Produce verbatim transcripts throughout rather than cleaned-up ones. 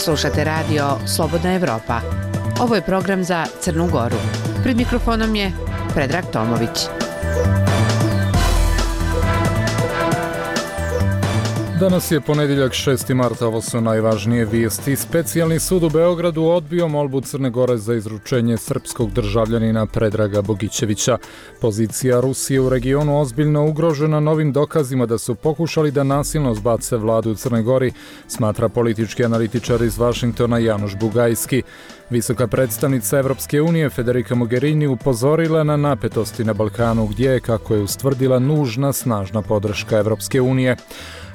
Slušate radio Slobodna Evropa. Ovo je program za Crnu Goru. Pred mikrofonom je Predrag Tomović. Danas je ponedjeljak šesti mart, ovo su najvažnije vijesti. Specijalni sud u Beogradu odbio molbu Crne Gore za izručenje srpskog državljanina Predraga Bogićevića. Pozicija Rusije u regionu ozbiljno ugrožena novim dokazima da su pokušali da nasilno zbace vladu u Crnoj Gori, smatra politički analitičar iz Vašingtona Januš Bugajski. Visoka predstavnica Evropske unije Federica Mogherini upozorila na napetosti na Balkanu gdje je, kako je ustvrdila, nužna snažna podrška Evropske unije.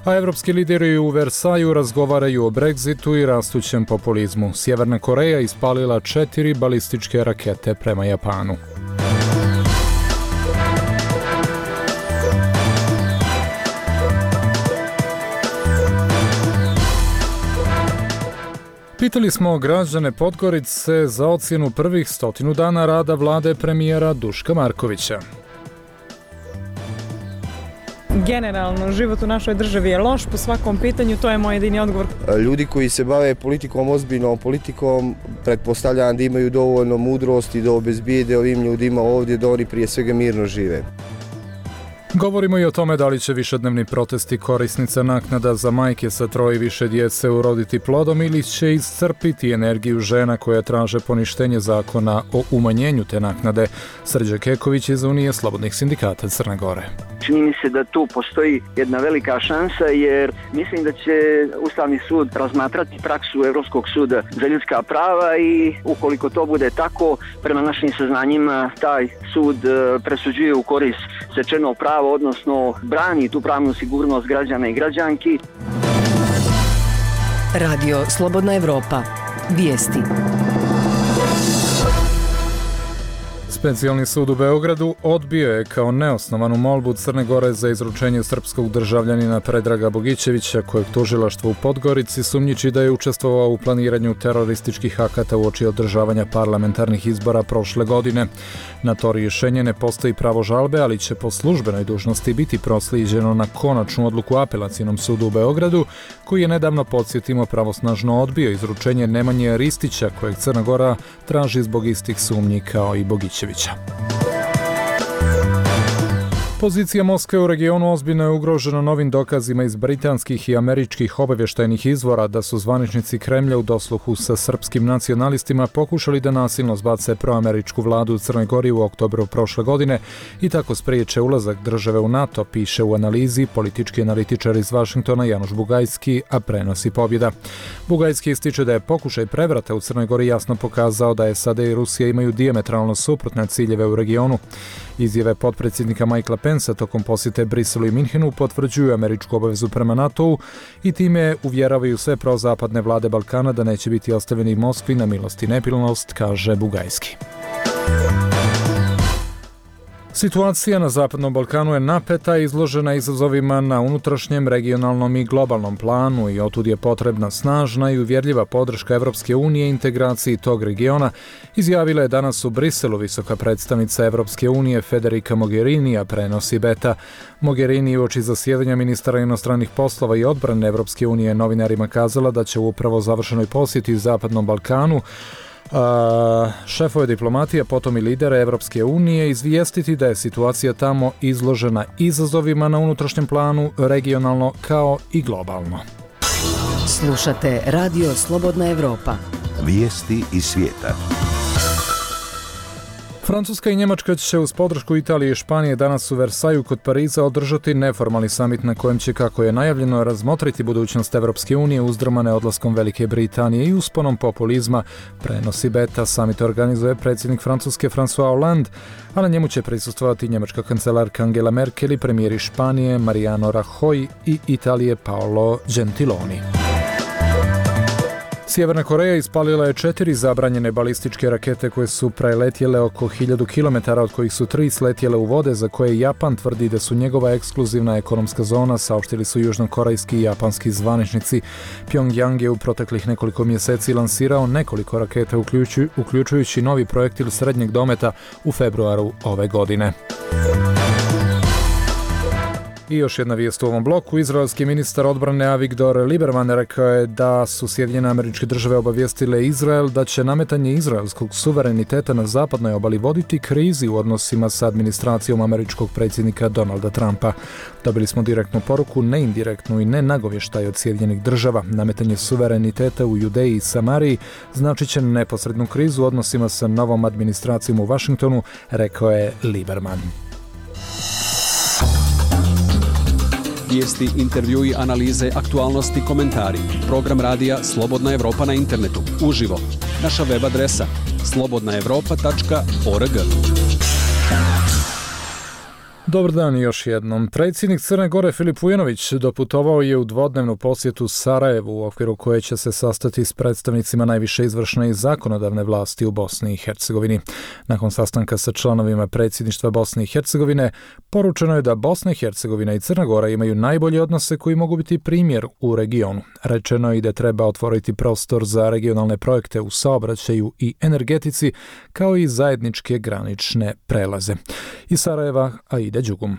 A evropski lideri u Versaju razgovaraju o Brexitu i rastućem populizmu. Sjeverna Koreja ispalila četiri balističke rakete prema Japanu. Pitali smo građane Podgorice za ocjenu prvih stotinu dana rada vlade premijera Duška Markovića. Generalno, život u našoj državi je loš po svakom pitanju, to je moj jedini odgovor. Ljudi koji se bave politikom, ozbiljnom politikom, pretpostavljam da imaju dovoljno mudrosti da obezbijede ovim ljudima ovdje da oni prije svega mirno žive. Govorimo i o tome da li će višednevni protesti korisnica naknada za majke sa troje i više djece uroditi plodom ili će iscrpiti energiju žena koje traže poništenje zakona o umanjenju te naknade. Srđan Keković iz Unije slobodnih sindikata Crne Gore. Čini mi se da tu postoji jedna velika šansa jer mislim da će Ustavni sud razmatrati praksu Europskog suda za ljudska prava i ukoliko to bude tako, prema našim saznanjima taj sud presuđuje u korist stečenog prava, odnosno brani tu pravnu sigurnost građana i građanki. Radio Slobodna Evropa. Vijesti. Specijalni sud u Beogradu odbio je kao neosnovanu molbu Crne Gore za izručenje srpskog državljanina Predraga Bogićevića, kojeg tužilaštvo u Podgorici sumnjiči da je učestvovao u planiranju terorističkih akata uoči održavanja parlamentarnih izbora prošle godine. Na to rješenje ne postoji pravo žalbe, ali će po službenoj dužnosti biti proslijeđeno na konačnu odluku Apelacionom sudu u Beogradu, koji je nedavno, podsjetimo, pravosnažno odbio izručenje Nemanje Ristića, kojeg Crna Gora traži zbog istih sumnji kao i Bogićevića. Pozicija Moskve u regionu ozbiljno je ugrožena novim dokazima iz britanskih i američkih obavještajnih izvora da su zvaničnici Kremlja u dosluhu sa srpskim nacionalistima pokušali da nasilno zbace proameričku vladu u Crnoj Gori u oktobru prošle godine i tako spriječe ulazak države u NATO, piše u analizi politički analitičar iz Vašingtona Januš Bugajski, a prenosi Pobjeda. Bugajski ističe da je pokušaj prevrata u Crnoj Gori jasno pokazao da S A D i Rusija imaju dijametralno suprotne ciljeve u regionu. Izjave potpredsjednika Michaela Pensa tokom posjete Briselu i Minhenu potvrđuju američku obavezu prema NATO-u i time uvjeravaju sve prozapadne vlade Balkana da neće biti ostavljeni Moskvi na milost i nemilost, kaže Bugajski. Situacija na Zapadnom Balkanu je napeta i izložena izazovima na unutrašnjem, regionalnom i globalnom planu i otud je potrebna snažna i uvjerljiva podrška Evropske unije integraciji tog regiona, izjavila je danas u Briselu visoka predstavnica Evropske unije Federica Mogherini, a prenosi Beta. Mogherini uoči zasjedanja ministara inostranih poslova i odbrane Evropske unije novinarima kazala da će u upravo završenoj posjeti Zapadnom Balkanu A, šefove diplomatije, potom i lidere Evropske unije izvijestiti da je situacija tamo izložena izazovima na unutrašnjem planu, regionalno kao i globalno. Slušate Radio Slobodna Evropa. Vijesti iz svijeta. Francuska i Njemačka će uz podršku Italije i Španije danas u Versaju kod Pariza održati neformalni samit na kojem će, kako je najavljeno, razmotriti budućnost Evropske unije uzdrmane odlaskom Velike Britanije i usponom populizma, prenosi Beta. Samit organizuje predsjednik Francuske François Hollande, a na njemu će prisustvovati njemačka kancelarka Angela Merkel i premijeri Španije Mariano Rajoy i Italije Paolo Gentiloni. Sjeverna Koreja ispalila je četiri zabranjene balističke rakete koje su preletjele oko hiljadu kilometara, od kojih su tri sletjele u vode za koje Japan tvrdi da su njegova ekskluzivna ekonomska zona, saopštili su južnokorejski i japanski zvaničnici. Pyongyang je u proteklih nekoliko mjeseci lansirao nekoliko raketa, uključujući novi projektil srednjeg dometa u februaru ove godine. I još jedna vijest u ovom bloku. Izraelski ministar odbrane Avigdor Lieberman rekao je da su Sjedinjene Američke Države obavijestile Izrael da će nametanje izraelskog suvereniteta na zapadnoj obali voditi krizi u odnosima sa administracijom američkog predsjednika Donalda Trumpa. Dobili smo direktnu poruku, ne indirektnu i ne nagovještaj od Sjedinjenih Država. Nametanje suvereniteta u Judeji i Samariji značit će neposrednu krizu u odnosima sa novom administracijom u Vašingtonu, rekao je Lieberman. Vijesti, intervjui, analize, aktualnosti, komentari. Program radija Slobodna Evropa na internetu. Uživo. Naša web adresa slobodna evropa tačka org. Dobar dan još jednom. Predsjednik Crne Gore Filip Vujanović doputovao je u dvodnevnu posjetu Sarajevu u okviru koje će se sastati s predstavnicima najviše izvršne i zakonodavne vlasti u Bosni i Hercegovini. Nakon sastanka sa članovima predsjedništva Bosne i Hercegovine, poručeno je da Bosna i Hercegovina i Crna Gora imaju najbolje odnose koji mogu biti primjer u regionu. Rečeno je i da treba otvoriti prostor za regionalne projekte u saobraćaju i energetici, kao i zajedničke granične prelaze. Iz Sarajeva, a ide Đugum.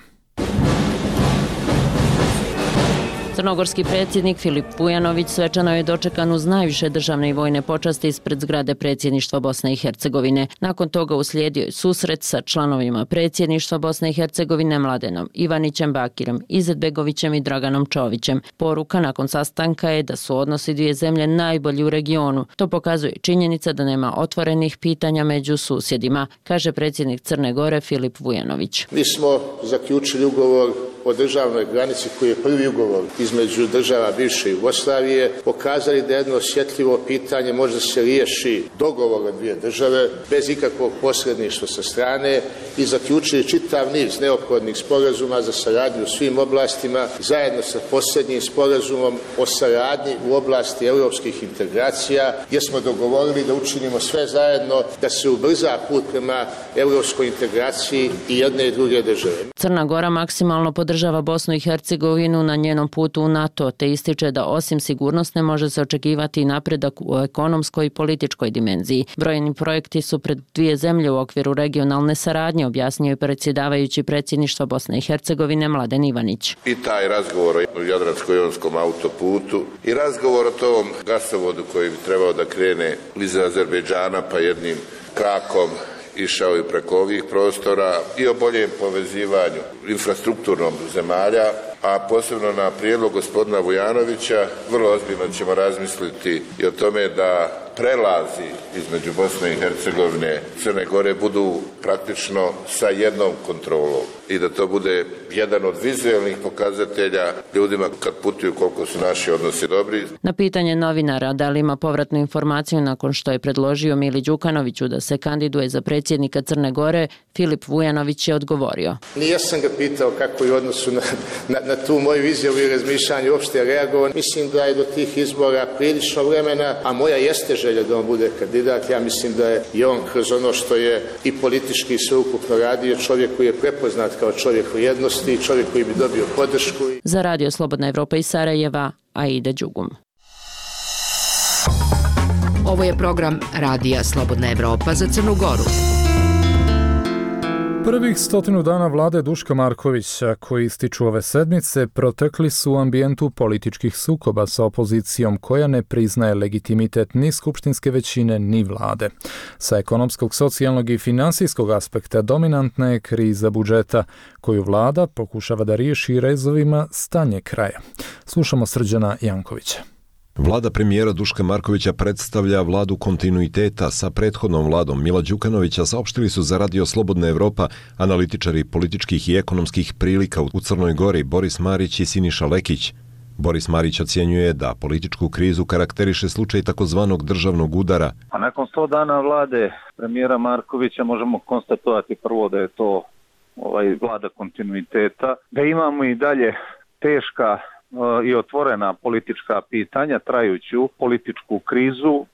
Crnogorski predsjednik Filip Vujanović svečano je dočekan uz najviše državne i vojne počasti ispred zgrade predsjedništva Bosne i Hercegovine. Nakon toga uslijedio je susret sa članovima predsjedništva Bosne i Hercegovine Mladenom Ivanićem Bakirom, Izetbegovićem i Draganom Čovićem. Poruka nakon sastanka je da su odnosi dvije zemlje najbolji u regionu. To pokazuje činjenica da nema otvorenih pitanja među susjedima, kaže predsjednik Crne Gore Filip Vujanović. Mi smo zaključili ugovor o državnoj granici koji je prvi ugovor između država bivše Jugoslavije, pokazali da jedno osjetljivo pitanje može da se riješi dogovorom dvije države bez ikakvog posredništva sa strane i zaključili čitav niz neophodnih sporazuma za saradnju u svim oblastima zajedno sa posljednjim sporazumom o saradnji u oblasti europskih integracija, gdje smo dogovorili da učinimo sve zajedno da se ubrza put prema europskoj integraciji i jedne i druge države. Crna Gora maksimalno podržava Bosnu i Hercegovinu na njenom putu u NATO, te ističe da osim sigurnosne može se očekivati i napredak u ekonomskoj i političkoj dimenziji. Brojni projekti su pred dvije zemlje u okviru regionalne saradnje, objasnio je predsjedavajući predsjedništva Bosne i Hercegovine Mladen Ivanić. I taj razgovor o Jadransko-jonskom autoputu i razgovor o tom gasovodu koji bi trebao da krene iz Azerbejdžana pa jednim krakom išao i preko ovih prostora i o boljem povezivanju infrastrukturnom zemalja, a posebno na prijedlog gospodina Vujanovića vrlo ozbiljno ćemo razmisliti i o tome da prelazi između Bosne i Hercegovine i Crne Gore budu praktično sa jednom kontrolom i da to bude jedan od vizualnih pokazatelja ljudima kad putuju koliko su naši odnosi dobri. Na pitanje novinara da li ima povratnu informaciju nakon što je predložio Mili Đukanoviću da se kandiduje za predsjednika Crne Gore, Filip Vujanović je odgovorio. Nije sam ga pitao kako je u odnosu na, na, na tu moju izjavu i razmišljanje uopšte reagovao. Mislim da je do tih izbora prilično vremena, a moja jeste želja da on bude kandidat. Ja mislim da je i on kroz ono što je i politički sveukupno radio čovjek koji je prepoznat kao čovjek vrijednosti, čovjek koji bi dobio podršku. Za Radio Slobodna Evropa iz Sarajeva, Aida Đugum. Ovo je program Radija Slobodna Evropa za Crnu Goru. Prvih stotinu dana vlade Duška Markovića, koji ističu ove sedmice, protekli su u ambijentu političkih sukoba sa opozicijom koja ne priznaje legitimitet ni skupštinske većine ni vlade. Sa ekonomskog, socijalnog i finansijskog aspekta dominantna je kriza budžeta, koju vlada pokušava da riješi rezovima stanje kraja. Slušamo Srđana Jankovića. Vlada premijera Duška Markovića predstavlja vladu kontinuiteta sa prethodnom vladom Mila Đukanovića, saopštili su za Radio Slobodna Evropa analitičari političkih i ekonomskih prilika u Crnoj Gori Boris Marić i Siniša Lekić. Boris Marić ocjenjuje da političku krizu karakteriše slučaj takozvanog državnog udara. A nakon sto dana vlade premijera Markovića možemo konstatovati prvo da je to ovaj vlada kontinuiteta, da imamo i dalje teška i otvorena politička pitanja, trajuću političku krizu.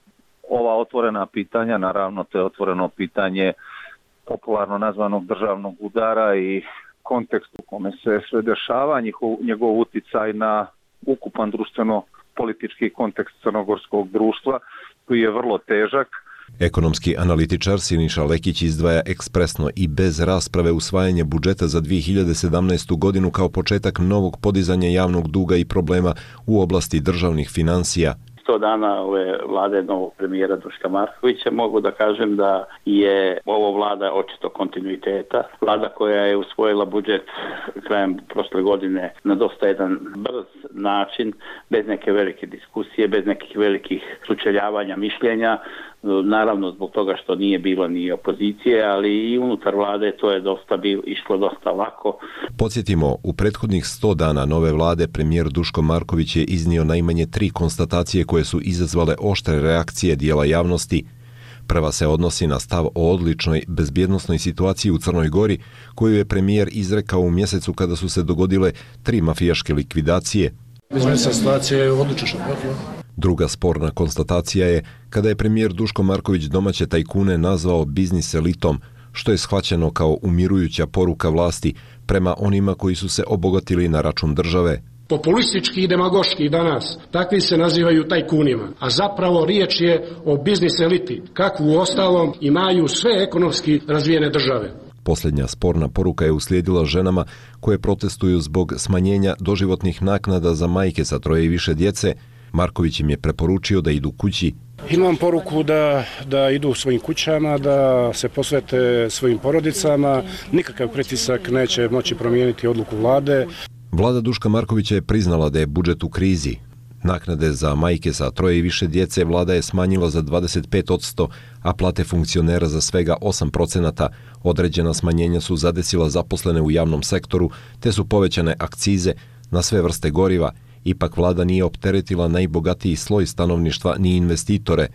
Ova otvorena pitanja, naravno, to je otvoreno pitanje popularno nazvanog državnog udara i kontekst u kome se sve dešava, njegov, njegov uticaj na ukupan društveno-politički kontekst crnogorskog društva, koji je vrlo težak. Ekonomski analitičar Siniša Lekić izdvaja ekspresno i bez rasprave usvajanje budžeta za dvije hiljade sedamnaestu. godinu kao početak novog podizanja javnog duga i problema u oblasti državnih financija. sto dana ove vlade novog premijera Duška Markovića mogu da kažem da je ovo vlada očito kontinuiteta. Vlada koja je usvojila budžet krajem prošle godine na dosta jedan brz način, bez neke velike diskusije, bez nekih velikih sučeljavanja mišljenja. Naravno zbog toga što nije bilo ni opozicije, ali i unutar vlade to je dosta bilo, išlo dosta lako. Podsjetimo, u prethodnih sto dana nove vlade premijer Duško Marković je iznio najmanje tri konstatacije koje su izazvale oštre reakcije dijela javnosti. Prva se odnosi na stav o odličnoj bezbjednosnoj situaciji u Crnoj Gori, koju je premijer izrekao u mjesecu kada su se dogodile tri mafijaške likvidacije. Bezbjednosna situacija je odlična. Druga sporna konstatacija je kada je premijer Duško Marković domaće tajkune nazvao biznis elitom, što je shvaćeno kao umirujuća poruka vlasti prema onima koji su se obogatili na račun države. Populistički i demagoški danas takvi se nazivaju tajkunima, a zapravo riječ je o biznis eliti, kakvu u ostalom imaju sve ekonomski razvijene države. Posljednja sporna poruka je uslijedila ženama koje protestuju zbog smanjenja doživotnih naknada za majke sa troje i više djece. Marković im je preporučio da idu kući. Imam poruku da, da idu svojim kućama, da se posvete svojim porodicama. Nikakav pritisak neće moći promijeniti odluku vlade. Vlada Duška Markovića je priznala da je budžet u krizi. Naknade za majke sa troje i više djece vlada je smanjila za dvadeset pet posto, a plate funkcionera za svega osam procenata. Određena smanjenja su zadesila zaposlene u javnom sektoru, te su povećane akcize na sve vrste goriva. Ipak vlada nije opteretila najbogatiji sloj stanovništva ni investitore.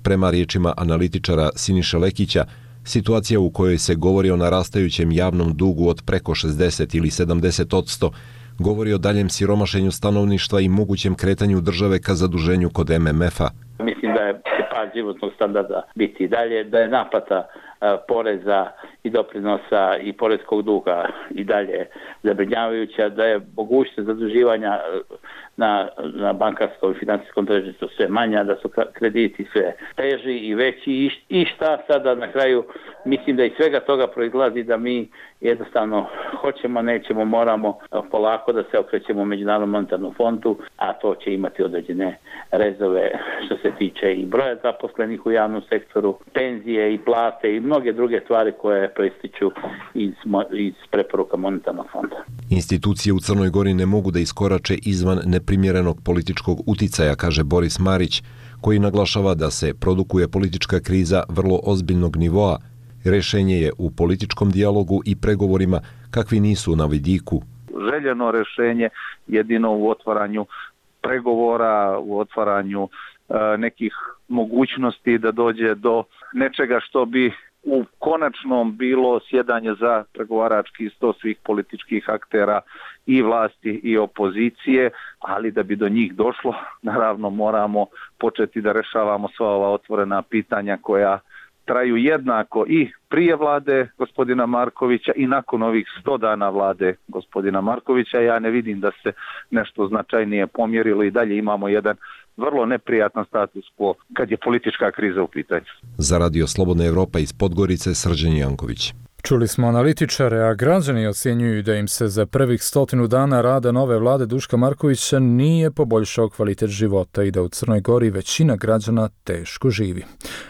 Prema riječima analitičara Siniše Lekića, situacija u kojoj se govori o narastajućem javnom dugu od preko šezdeset ili sedamdeset posto govori o daljem siromašenju stanovništva i mogućem kretanju države ka zaduženju kod em em ef-a. Mislim da je pad životnog standarda biti dalje, da je naplata poreza i doprinosa i poreskog duga i dalje zabrinjavajuća, da je mogućnost zaduživanja na, na bankarskom i financijskom tržištu sve manja, da su krediti sve teži i veći i, i šta sada na kraju mislim da iz svega toga proizlazi da mi jednostavno hoćemo, nećemo, moramo polako da se okrećemo Međunarodnom monetarnom fondu, a to će imati određene rezove što se tiče i broja zaposlenih u javnom sektoru, penzije i plate i mnoge druge stvari koje proističu iz, iz preporuka monetarnog fonda. Institucije u Crnoj Gori ne mogu da iskorače izvan neprimjerenog političkog uticaja, kaže Boris Marić, koji naglašava da se produkuje politička kriza vrlo ozbiljnog nivoa. Rešenje je u političkom dijalogu i pregovorima kakvi nisu na vidiku. Željeno rešenje jedino u otvaranju pregovora, u otvaranju e, nekih mogućnosti da dođe do nečega što bi u konačnom bilo sjedanje za pregovarački sto svih političkih aktera i vlasti i opozicije, ali da bi do njih došlo, naravno moramo početi da rešavamo sva ova otvorena pitanja koja traju jednako i prije vlade gospodina Markovića i nakon ovih sto dana vlade gospodina Markovića. Ja ne vidim da se nešto značajnije pomjerilo i dalje imamo jedan vrlo neprijatan status quo kad je politička kriza u pitanju. Za Radio Slobodna Evropa iz Podgorice, Srđan Janković. Čuli smo analitičare, a građani ocjenjuju da im se za prvih stotinu dana rada nove vlade Duška Markovića nije poboljšao kvalitet života i da u Crnoj Gori većina građana teško živi.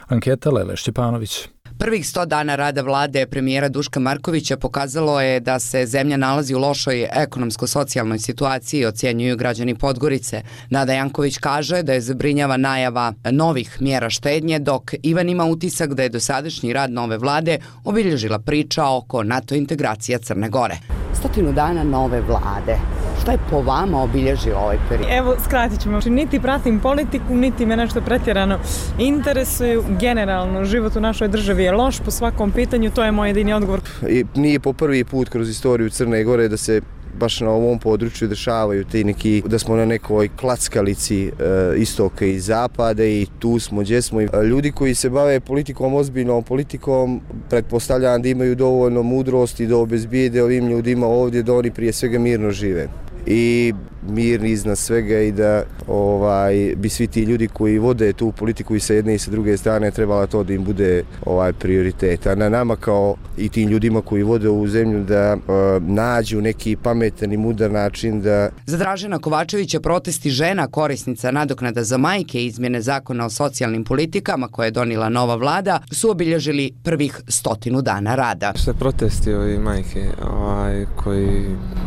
Anketa Lele Šćepanović. Prvih sto dana rada vlade premijera Duška Markovića pokazalo je da se zemlja nalazi u lošoj ekonomsko-socijalnoj situaciji, ocjenjuju građani Podgorice. Nada Janković kaže da je zabrinjava najava novih mjera štednje, dok Ivan ima utisak da je dosadašnji rad nove vlade obilježila priča oko NATO integracija Crne Gore. Stotinu dana nove vlade. Šta je po vama obilježio ovaj period? Evo, skratit ćemo. Niti pratim politiku, niti me nešto pretjerano interesuju. Generalno, život u našoj državi je loš po svakom pitanju, to je moj jedini odgovor. I nije po prvi put kroz istoriju Crne Gore da se baš na ovom području dešavaju ti neki, da smo na nekoj klackalici e, istoka i zapada i tu smo gdje smo. Ljudi koji se bave politikom, ozbiljnom politikom, pretpostavljam da imaju dovoljno mudrosti da obezbijede ovim ljudima ovdje da oni prije svega mirno žive. i mirni iznad svega i da ovaj, bi svi ti ljudi koji vode tu politiku i sa jedne i sa druge strane trebala to da im bude ovaj, prioritet. A na nama kao i tim ljudima koji vode ovu zemlju da uh, nađu neki pametan i mudar način da... Za Dražena Kovačevića protesti žena korisnica nadoknada za majke i izmjene zakona o socijalnim politikama koje je donijela nova vlada su obilježili prvih stotinu dana rada. Sve protesti ovi majke ovaj, koji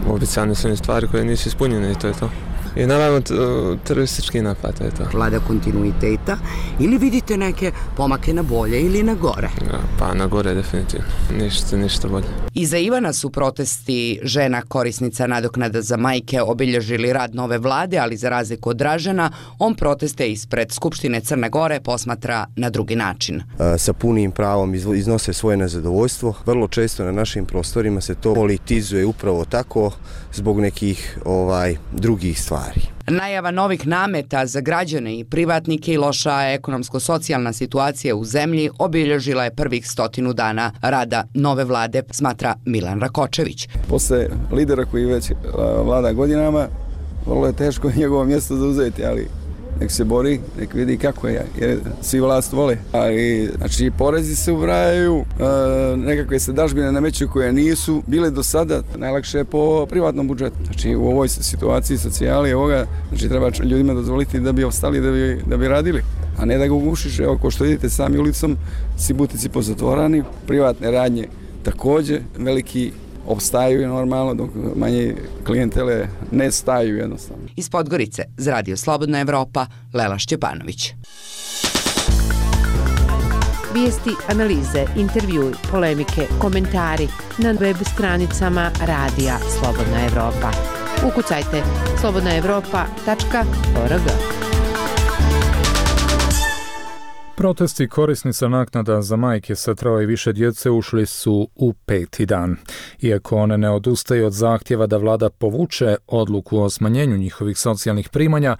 obećane su stvari koje nisu ispunjene i to je to. I naravno teroristički napad, to je to. Vlada kontinuiteta ili vidite neke pomake na bolje ili na gore? Pa na gore definitivno, ništa, ništa bolje. I za Ivana su protesti žena korisnica nadoknada za majke obilježili rad nove vlade, ali za razliku od Dražena, on proteste ispred Skupštine Crne Gore posmatra na drugi način. Sa punim pravom iznose svoje nezadovoljstvo. Vrlo često na našim prostorima se to politizuje upravo tako zbog nekih ovaj, drugih stvari. Najava novih nameta za građane i privatnike i loša ekonomsko-socijalna situacija u zemlji obilježila je prvih stotinu dana rada nove vlade, smatra Milan Rakočević. Posle lidera koji već vlada godinama, vrlo je teško njegovo mjesto zauzeti, ali nek se bori, nek vidi kako je, jer svi vlast vole. Ali, znači, porezi se ubrajaju, e, nekakve se dažbine nameću koje nisu bile do sada, najlakše je po privatnom budžetu. Znači, u ovoj situaciji socijali ovoga, znači, treba ljudima dozvoliti da bi ostali, da bi, da bi radili, a ne da ga ugušiš. Evo, ko što vidite sami ulicom, svi butici pozatvorani, privatne radnje također, veliki opstaju normalno, dok manje klijentele ne staju jednostavno. Iz Podgorice, za Radio Slobodna Evropa, Lela Šćepanović. Vijesti, analize, intervjui, polemike, komentari na web stranicama Radija Slobodna Evropa. Ukucajte slobodna evropa tačka org. Protesti korisnica naknada za majke sa troje i više djece ušli su u peti dan. Iako one ne odustaju od zahtjeva da vlada povuče odluku o smanjenju njihovih socijalnih primanja,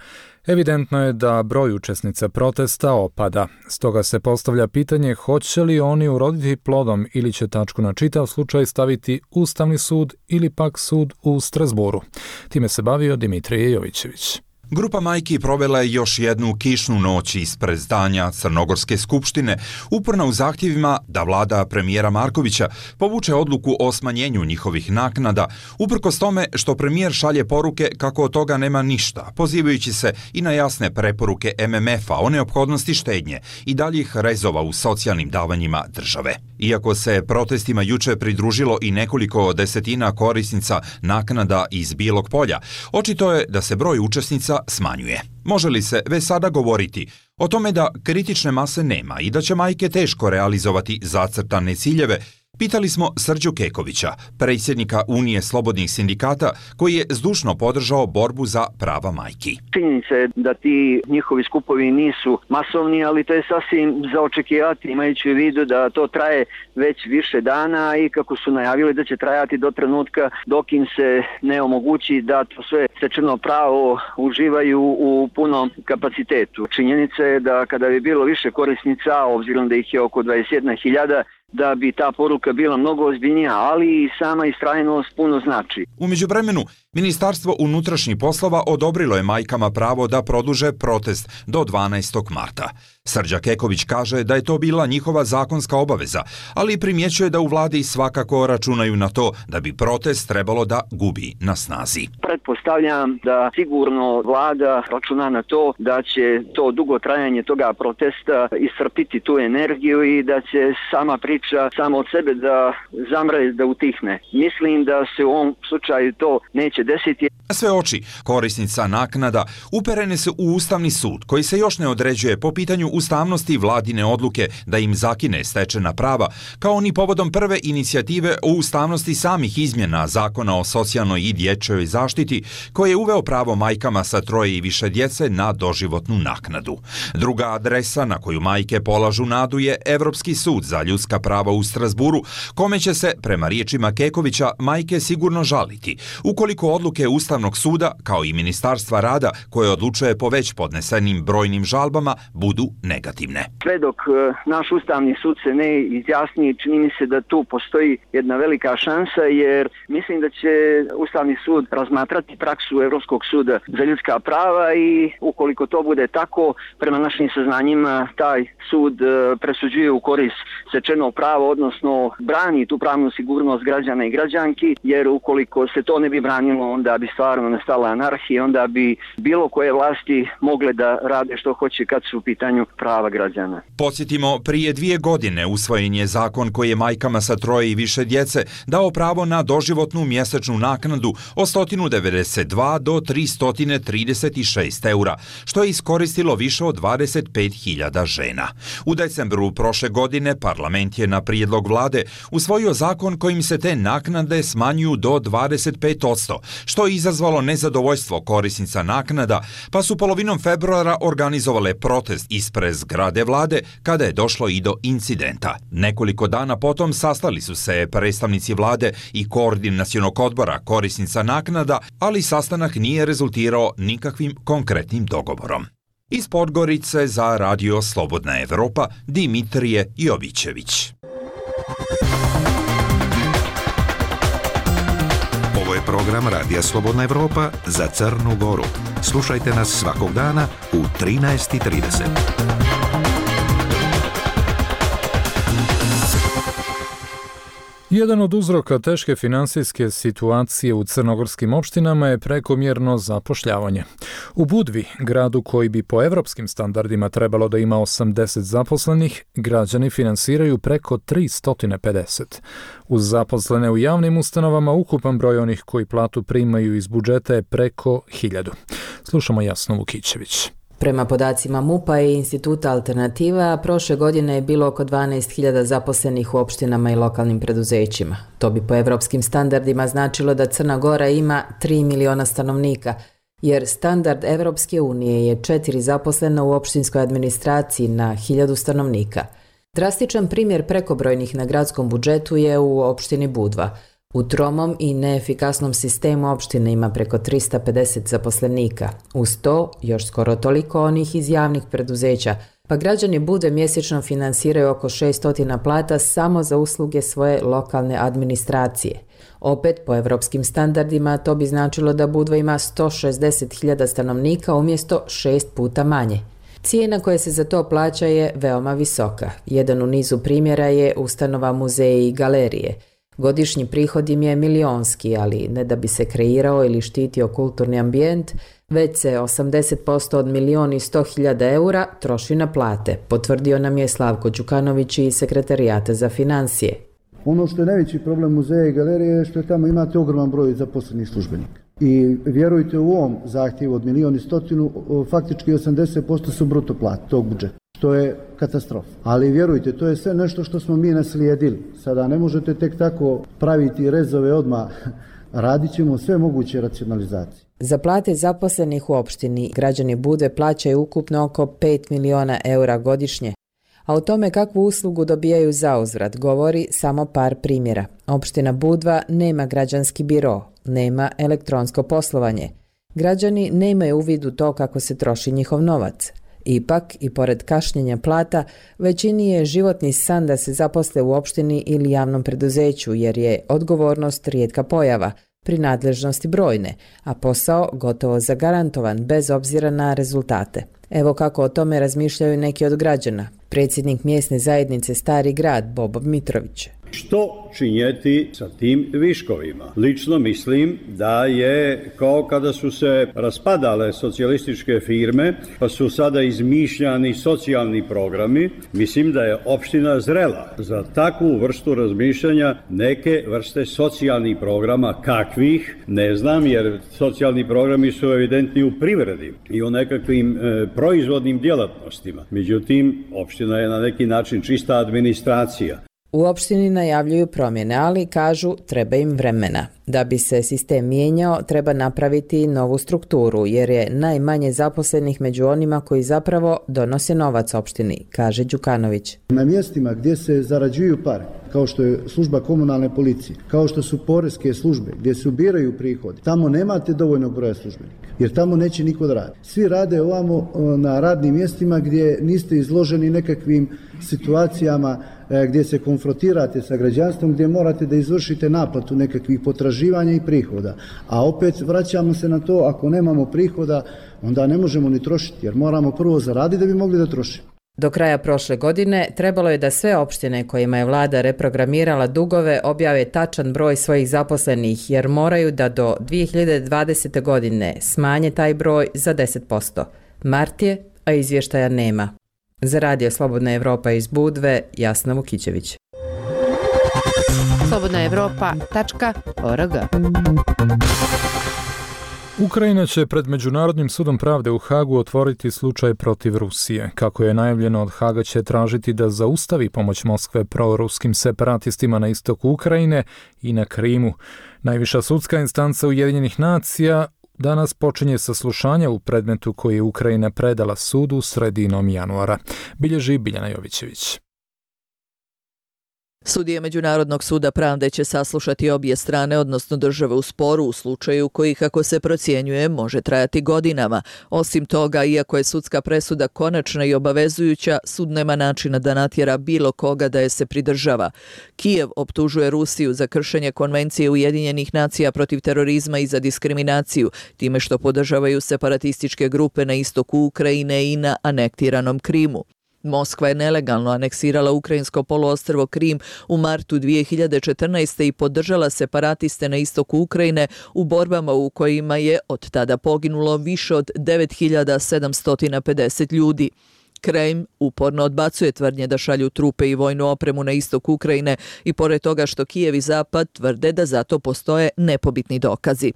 evidentno je da broj učesnica protesta opada. Stoga se postavlja pitanje hoće li oni uroditi plodom ili će tačku na čitav slučaj staviti Ustavni sud ili pak sud u Strasburu. Time se bavio Dimitrije Jovićević. Grupa majki provela je još jednu kišnu noć ispred zdanja Crnogorske skupštine, uporna u zahtjevima da vlada premijera Markovića povuče odluku o smanjenju njihovih naknada, uprkos tome što premijer šalje poruke kako od toga nema ništa, pozivajući se i na jasne preporuke M M F-a o neophodnosti štednje i daljih rezova u socijalnim davanjima države. Iako se protestima juče pridružilo i nekoliko desetina korisnica naknada iz Bijelog Polja, očito je da se broj učesnica smanjuje. Može li se već sada govoriti o tome da kritične mase nema i da će majke teško realizovati zacrtane ciljeve? Pitali smo Srđu Kekovića, predsjednika Unije slobodnih sindikata, koji je zdušno podržao borbu za prava majki. Činjenica je da ti njihovi skupovi nisu masovni, ali to je sasvim za očekivati, imajući u vidu da to traje već više dana i kako su najavili da će trajati do trenutka dok im se ne omogući da to sve stečeno pravo uživaju u punom kapacitetu. Činjenica je da kada bi bilo više korisnica, obzirom da ih je oko dvadeset jedna hiljada, da bi ta poruka bila mnogo ozbiljnija, ali i sama istrajnost puno znači. U međuvremenu, Ministarstvo unutrašnjih poslova odobrilo je majkama pravo da produže protest do dvanaestog marta. Srđa Keković kaže da je to bila njihova zakonska obaveza, ali primjećuje da u vladi svakako računaju na to da bi protest trebalo da gubi na snazi. Pretpostavljam da sigurno vlada računa na to da će to dugo trajanje toga protesta iscrpiti tu energiju i da će sama priča samo od sebe da zamre, da utihne. Mislim da se u ovom slučaju to neće desiti. Sve oči korisnica naknada uperene se u Ustavni sud, koji se još ne određuje po pitanju ustavnosti vladine odluke da im zakine stečena prava, kao ni povodom prve inicijative o ustavnosti samih izmjena Zakona o socijalnoj i dječjoj zaštiti, koji je uveo pravo majkama sa troje i više djece na doživotnu naknadu. Druga adresa na koju majke polažu nadu je Evropski sud za ljudska prava u Strasburu, kome će se, prema riječima Kekovića, majke sigurno žaliti, ukoliko odluke Ustavnog suda, kao i Ministarstva rada, koje odlučuje po već podnesenim brojnim žalbama, budu negativne. Sve dok naš Ustavni sud se ne izjasni, čini mi se da tu postoji jedna velika šansa, jer mislim da će Ustavni sud razmatrati praksu Europskog suda za ljudska prava i ukoliko to bude tako, prema našim saznanjima taj sud presuđuje u korist stečenog prava, odnosno brani tu pravnu sigurnost građana i građanki, jer ukoliko se to ne bi branilo, onda bi stvarno nastala anarhija, onda bi bilo koje vlasti mogle da rade što hoće kad su u pitanju prava građana. Podsjetimo, prije dvije godine usvojen je zakon koji je majkama sa troje i više djece dao pravo na doživotnu mjesečnu naknadu od sto devedeset dva do tristo trideset šest eura, što je iskoristilo više od dvadeset pet hiljada žena. U decembru prošle godine parlament je na prijedlog vlade usvojio zakon kojim se te naknade smanjuju do dvadeset pet posto, što je izazvalo nezadovoljstvo korisnica naknada, pa su polovinom februara organizovale protest ispred zgrade vlade kada je došlo i do incidenta. Nekoliko dana potom sastali su se predstavnici vlade i koordinacionog odbora korisnica naknada, ali sastanak nije rezultirao nikakvim konkretnim dogovorom. Iz Podgorice za Radio Slobodna Evropa, Dimitrije Jovićević. Ovo je program Radija Slobodna Evropa za Crnu Goru. Slušajte nas svakog dana u trinaest i trideset. Jedan od uzroka teške finansijske situacije u crnogorskim opštinama je prekomjerno zapošljavanje. U Budvi, gradu koji bi po evropskim standardima trebalo da ima osamdeset zaposlenih, građani finansiraju preko tristo pedeset. Uz zaposlene u javnim ustanovama, ukupan broj onih koji platu primaju iz budžeta je preko hiljadu. Slušamo Jasnu Vukićević. Prema podacima MUP-a i Instituta Alternativa, prošle godine je bilo oko dvanaest hiljada zaposlenih u opštinama i lokalnim preduzećima. To bi po evropskim standardima značilo da Crna Gora ima tri miliona stanovnika, jer standard Evropske unije je četiri zaposlena u opštinskoj administraciji na hiljadu stanovnika. Drastičan primjer prekobrojnih na gradskom budžetu je u opštini Budva. U tromom i neefikasnom sistemu opštine ima preko tristo pedeset zaposlenika. Uz to, još skoro toliko onih iz javnih preduzeća, pa građani Budve mjesečno finansiraju oko šesto plata samo za usluge svoje lokalne administracije. Opet, po evropskim standardima, to bi značilo da Budva ima sto šezdeset hiljada stanovnika umjesto šest puta manje. Cijena koja se za to plaća je veoma visoka. Jedan u nizu primjera je ustanova muzeji i galerije. Godišnji prihod im je milionski, ali ne da bi se kreirao ili štitio kulturni ambijent, već se osamdeset posto od milion i sto hiljada eura troši na plate, potvrdio nam je Slavko Đukanović iz Sekretarijata za financije. Ono što je najveći problem muzeja i galerije je što je tamo imate ogroman broj zaposlenih službenika. I vjerujte, u ovom zahtjevu od milion i stotinu, faktički osamdeset posto su bruto plate tog budžeta, što je katastrofa. Ali vjerujte, to je sve nešto što smo mi naslijedili. Sada ne možete tek tako praviti rezove odmah, radit ćemo sve moguće racionalizacije. Za plate zaposlenih u opštini građani Budve plaćaju ukupno oko pet miliona eura godišnje, a o tome kakvu uslugu dobijaju zauzvrat govori samo par primjera. Opština Budva nema građanski biro, nema elektronsko poslovanje. Građani nemaju uvid u to kako se troši njihov novac. Ipak, i pored kašnjenja plata, većini je životni san da se zaposle u opštini ili javnom preduzeću, jer je odgovornost rijetka pojava, prinadležnosti brojne, a posao gotovo zagarantovan bez obzira na rezultate. Evo kako o tome razmišljaju neki od građana. Predsjednik mjesne zajednice Stari grad, Bobo Mitrović. Što činjeti sa tim viškovima? Lično mislim da je kao kada su se raspadale socijalističke firme, pa su sada izmišljani socijalni programi. Mislim da je opština zrela za takvu vrstu razmišljanja, neke vrste socijalnih programa. Kakvih? Ne znam, jer socijalni programi su evidentni u privredi i u nekakvim e, proizvodnim djelatnostima. Međutim, opština je na neki način čista administracija. U opštini najavljuju promjene, ali kažu treba im vremena. Da bi se sistem mijenjao, treba napraviti novu strukturu, jer je najmanje zaposlenih među onima koji zapravo donose novac opštini, kaže Đukanović. Na mjestima gdje se zarađuju pare, kao što je služba komunalne policije, kao što su poreske službe gdje se ubiraju prihodi, tamo nemate dovoljnog broja službenika, jer tamo neće niko da radi. Svi rade ovamo na radnim mjestima gdje niste izloženi nekakvim situacijama gdje se konfrontirate sa građanstvom, gdje morate da izvršite naplatu nekakvih potraživanja i prihoda. A opet vraćamo se na to, ako nemamo prihoda, onda ne možemo ni trošiti, jer moramo prvo zaraditi da bi mogli da trošimo. Do kraja prošle godine trebalo je da sve opštine kojima je vlada reprogramirala dugove objave tačan broj svojih zaposlenih, jer moraju da do dvije hiljade dvadesete. godine smanje taj broj za deset posto. Mart je, a izvještaja nema. Za Radio Slobodna Evropa iz Budve, Jasna Vukićević. slobodna evropa tačka org. Ukrajina će pred Međunarodnim sudom pravde u Hagu otvoriti slučaj protiv Rusije. Kako je najavljeno, od Haga će tražiti da zaustavi pomoć Moskve proruskim separatistima na istoku Ukrajine i na Krimu. Najviša sudska instanca Ujedinjenih nacija danas počinje saslušanje u predmetu koji je Ukrajina predala sudu sredinom januara. Bilježi Biljana Jovićević. Sudije Međunarodnog suda pravde će saslušati obje strane, odnosno države u sporu, u slučaju koji, kako se procjenjuje, može trajati godinama. Osim toga, iako je sudska presuda konačna i obavezujuća, sud nema načina da natjera bilo koga da je se pridržava. Kijev optužuje Rusiju za kršenje Konvencije Ujedinjenih nacija protiv terorizma i za diskriminaciju, time što podržavaju separatističke grupe na istoku Ukrajine i na anektiranom Krimu. Moskva je nelegalno aneksirala ukrajinsko poluostrvo Krim u martu dvije hiljade četrnaeste. i podržala separatiste na istoku Ukrajine u borbama u kojima je od tada poginulo više od devet hiljada sedamsto pedeset ljudi. Kreml uporno odbacuje tvrdnje da šalju trupe i vojnu opremu na istok Ukrajine i pored toga što Kijev i Zapad tvrde da zato postoje nepobitni dokazi.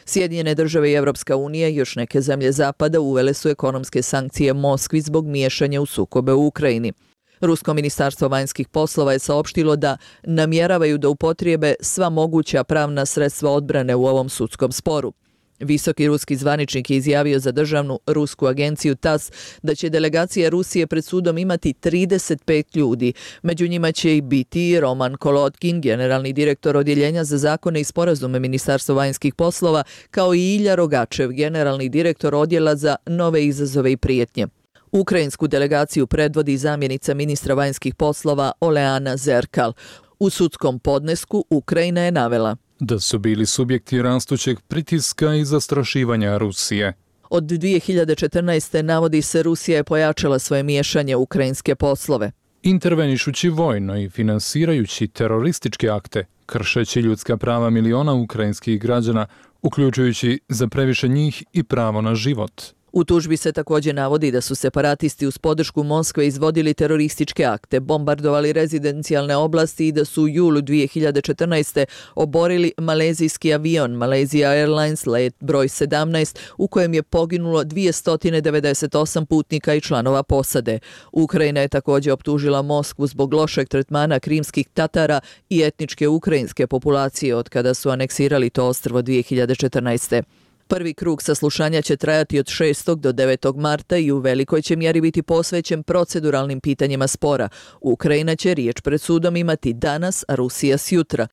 Sjedinjene države i Evropska unija i još neke zemlje Zapada uvele su ekonomske sankcije Moskvi zbog miješanja u sukobe u Ukrajini. Rusko ministarstvo vanjskih poslova je saopštilo da namjeravaju da upotrijebe sva moguća pravna sredstva odbrane u ovom sudskom sporu. Visoki ruski zvaničnik je izjavio za državnu rusku agenciju TASS da će delegacija Rusije pred sudom imati trideset pet ljudi. Među njima će i biti Roman Kolotkin, generalni direktor odjeljenja za zakone i sporazume Ministarstva vanjskih poslova, kao i Ilja Rogačev, generalni direktor odjela za nove izazove i prijetnje. Ukrajinsku delegaciju predvodi zamjenica ministra vanjskih poslova Oleana Zerkal. U sudskom podnesku Ukrajina je navela da su bili subjekti rastućeg pritiska i zastrašivanja Rusije. Od dvije hiljade četrnaeste. navodi se Rusija je pojačala svoje miješanje u ukrajinske poslove. Intervenišući vojno i finansirajući terorističke akte, kršeći ljudska prava miliona ukrajinskih građana, uključujući za previše njih i pravo na život. U tužbi se također navodi da su separatisti uz podršku Moskve izvodili terorističke akte, bombardovali rezidencijalne oblasti i da su u julu dvije hiljade četrnaeste. oborili malezijski avion Malaysia Airlines let broj sedamnaest u kojem je poginulo dvjesto devedeset osam putnika i članova posade. Ukrajina je također optužila Moskvu zbog lošeg tretmana krimskih Tatara i etničke ukrajinske populacije od kada su aneksirali to ostrvo dvije hiljade četrnaeste. Prvi krug saslušanja će trajati od šestog do devetog marta i u velikoj će mjeri biti posvećen proceduralnim pitanjima spora. Ukrajina će riječ pred sudom imati danas, a Rusija sjutra.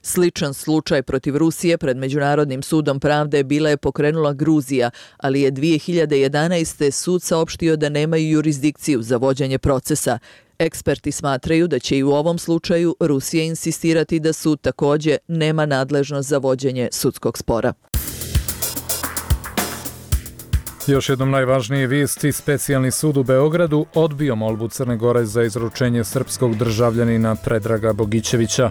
Sličan slučaj protiv Rusije pred Međunarodnim sudom pravde bila je pokrenula Gruzija, ali je dvije hiljade jedanaeste. sud saopštio da nemaju jurisdikciju za vođenje procesa. Eksperti smatraju da će i u ovom slučaju Rusija insistirati da sud također nema nadležnost za vođenje sudskog spora. Još jednom najvažnije vijesti, specijalni sud u Beogradu odbio molbu Crne Gore za izručenje srpskog državljanina Predraga Bogićevića.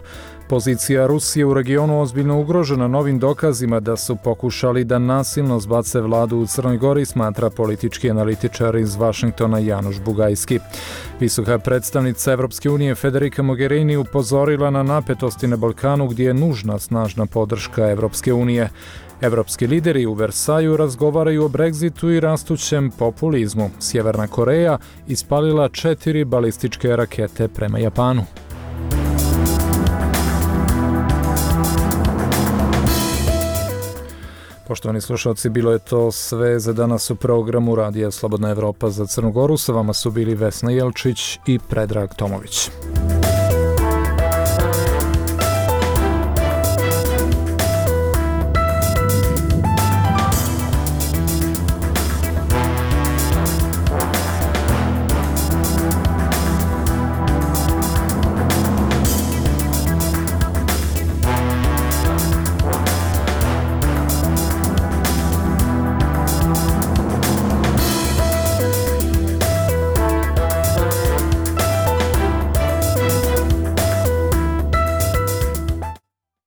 Pozicija Rusije u regionu ozbiljno ugrožena novim dokazima da su pokušali da nasilno zbace vladu u Crnoj Gori, smatra politički analitičar iz Vašingtona Januš Bugajski. Visoka predstavnica Evropske unije Federica Mogherini upozorila na napetosti na Balkanu gdje je nužna snažna podrška Evropske unije. Evropski lideri u Versaju razgovaraju o Brexitu i rastućem populizmu. Sjeverna Koreja ispalila četiri balističke rakete prema Japanu. Poštovani slušalci, bilo je to sve za danas u programu Radija Slobodna Evropa za Crnu Goru. Sa vama su bili Vesna Jelčić i Predrag Tomović.